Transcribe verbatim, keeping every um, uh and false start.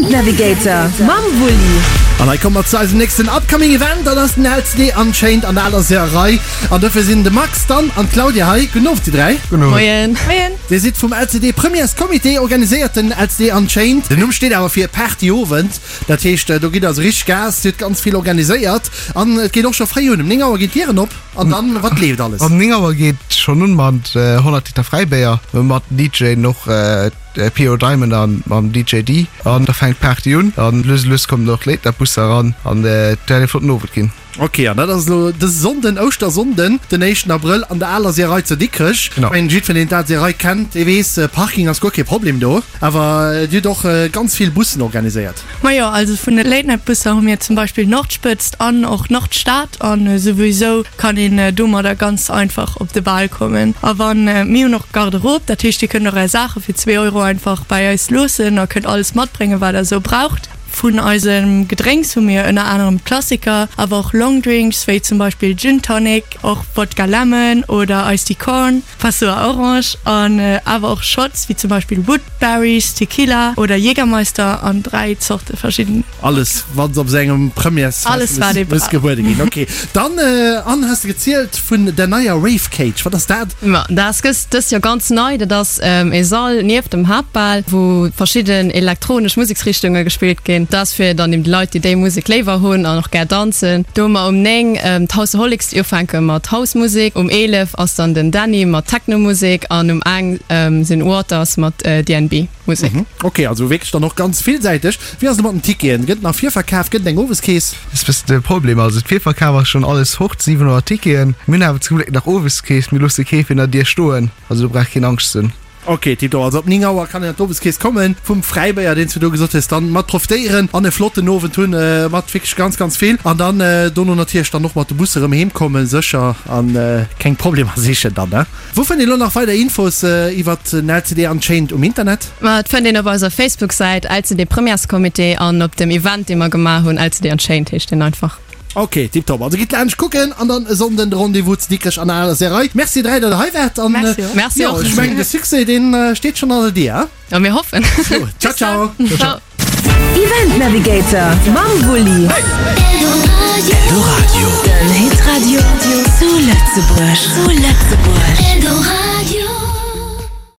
Event Navigator mam Wulli. An hei komme mer zu eisem nächsten upcoming Event, dat ass den L C D Unchained an der aler Seeërei. An dofir sinn de Max, d'Anne an d'Claudia hei. Gudden Owend, dir dräi. Gudden Owend. Moien. Moien. Dir sidd vum L C D Premierscomité, organiséiert den L C D Unchained. Den Numm steet awer fir Partyowend. Dat heescht, do gitt also richteg Gas, dir hutt ganz vill organiséiert. An et geet och scho fréi un, um néng Auer ginn d'Dieren op. An dann, wat leeft alles? Um néng Auer geet schonn un mat honnert Liter Fräibéier, mat D J och P O Diamond an mam D J D. An da fänkt d'Party un an lues a lues kommen och Late Night Busser eran an et wäert e flotten Owend ginn. Ok, an dat ass elo dëse Sonnden, Ouschtersonnden, den éischten Abrëll an der aler Seeërei zu Dikrech. Genau. Ech mengen, jiddwereen, deen d'al Seeërei kennt, dee weess, Parking ass guer kee Problem do. Awer dir hutt och ganz vill Bussen organiséiert. Majo, also vun de Late Night Busser hu mir zum Beispill Nordspëtzt an och Nordstad an souwisou kann een domadder ganz einfach op de Bal kommen. A wann, mir hunn och Garderobe, dat heescht dir kënnt och är Saache fir zwee Euro einfach bei eis loossen a kënnt alles matbréngen, wat der esou braucht. Vun eisem Gedrénks hu mir ënner anerem Klassiker, awer och Longdrinks wéi zum Beispill Gin Tonic, och Vodka Lemon oder Iced Tea Corn, Passoa Orange an awer och Shots wéi zum Beispill Woodberries, Tequila oder Jägermeister an dräi Zorte verschidden. Alles wat op sengem Premières Alles wat ee muss brauch. gebuede ginn. Ok, dann Anne, has de gezielt vun der neier Rave Cage. Wat ass dat? Ma dat ass gëss dëst Joer ganz nei. Dat ass e Sall nieft dem Haaptbal, wou verschidden elektronesch Museksrichtunge gespillt ginn. Dat ass fir dann eben déi Leit, déi déi Musek léiwer hunn an och gär danzen. Do hu mer um néng d'Houseaholics, déi ufänke mat Housemusek. Um eelef ass dann den Danny mat Technomusek an um eng sinn Waters mat D N B Musek. Mhm. Ok, also wierklech dann och ganz villsäiteg. Wéi ass et mat den Ticketen? Gëtt nach virverkaf? Gëtt et eng Oweskeess? Dat ass e bëssen de Problem. Also d'Virverkaf ass schonn alles fort, siwenhonnert Ticketen. Mir hunn awer zum Gléck nach Oweskeess. Mir loosse kee virun der Dier stoen. Also do brauch keen Angscht ze hunn. Ok, tiptop. Also op néng Auer kann een an d'Oweskeess kommen, vum Fräibéier, deen s du do gesot hues, dann mat profitéieren an e flotten Owend hunn, mat wierklech ganz, ganz vill. An dann dono natierlech dann och mat de Busse rëm heem kommen, sécher, an keng Problemer sichen dann, ne? Wou fënnt een elo nach weider Infos iwwert den L C D Unchained um Internet? Ma et fënnt een op eiser Facebook-Säit L C D Premièrescomité an op dem Event, dee mer gemaach hunn, L C D Unchained heescht deen einfach. Ok, tiptop. Also gitt laanscht kucken an dann e Sonnden de Rendez-vous zu Dikrech an der aler Seeërei. Merci dräi, datt der hei waart. An, Merci och. Merci jo, och. ech mengen, de Succès, deen steet schonn an der Dier, hein? Ja, mir hoffen. Jo, ciao, ciao. Ciao. Event Navigator mam Wulli. Eldoradio. Den Hitradio zu Lëtzebuerg. Zu Lëtzebuerg. Eldoradio.